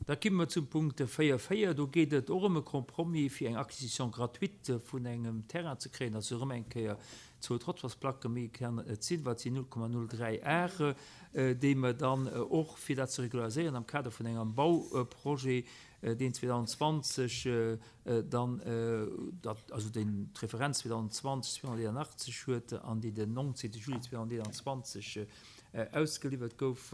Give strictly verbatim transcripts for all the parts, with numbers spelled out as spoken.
Da komme mer zum Punkt véier véier. Do geet et och ëm e Compromis, fir eng Acquisition gratuite vun engem Terrain ze kréien. Dat ass erëm eng Kéier zwou Trottoirsplacke, méi kann et net sinn, wat sinn null Komma null dräi Are, déi mer dann och, fir dat ze regulariséieren am Kader vun engem Bauprojet, deen zweedausendzwanzeg dann, also deen d'Referenz zweedausendzwanzeg zweehonnerteeënachtzeg huet an déi den nonzéngte Juli zweedausendeenanzwanzeg ausgeliwwert gouf,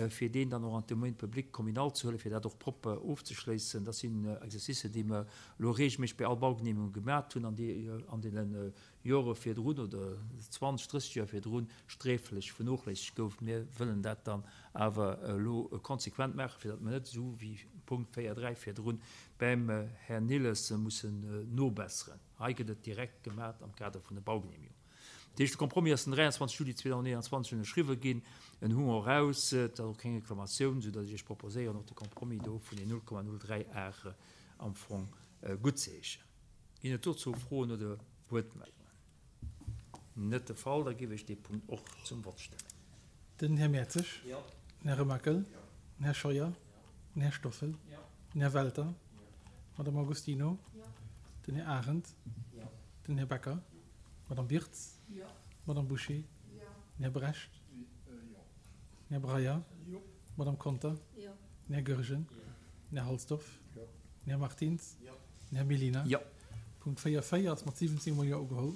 fir deen dann och an d'Domaine public communal ze huelen, fir dat och propper ofzeschléissen. Dat sinn Exercicen, déi mer elo regelméisseg bei all Baugenehmigung gemaat hunn an déi an deene Jore virdrun oder zwanzeg, drësseg Joer virdrun sträflech vernoochléissegt gouf. Mir wëllen dat dann awer elo konsequent maachen, fir datt mer net esou wéi Punkt véier dräi virdrun beim Här Nilles mussen nobesseren. Hei gëtt et direkt gemaat am Kader vun der Baugenehmigung. Dat heescht, de Compromis ass den dräianzwanzeg Juli zweedausendeenanzwanzeg ënnerschriwwe ginn. En hu mer och eraus. Et ass och keng Reklamatioun, soudatt ech Iech proposéieren, och de Compromis do vun den null Komma null dräi Are am Fong guttzeheeschen. Ginn et dozou Froen oder Wuertmeldungen? Net de Fall. Da géif ech dee Punkt och zum Vott stellen. Den Här Mertzig. Den Här Remakel. Den Här Scheuer. Den Här Stoffel. Den Här Welter. D'Madame Agostino. Den Här Arendt. Den Här Becker. D'Madame Wirtz. D'Madame Bouché. Den Här Brecht. Den Här Breyer. D'Madame Conter. Den Här Goergen. Den Här Halsdorf. Den Här Martins. Den Här Mellina. Punkt véier véier ass mat siwwenzéng mol Jo ugeholl.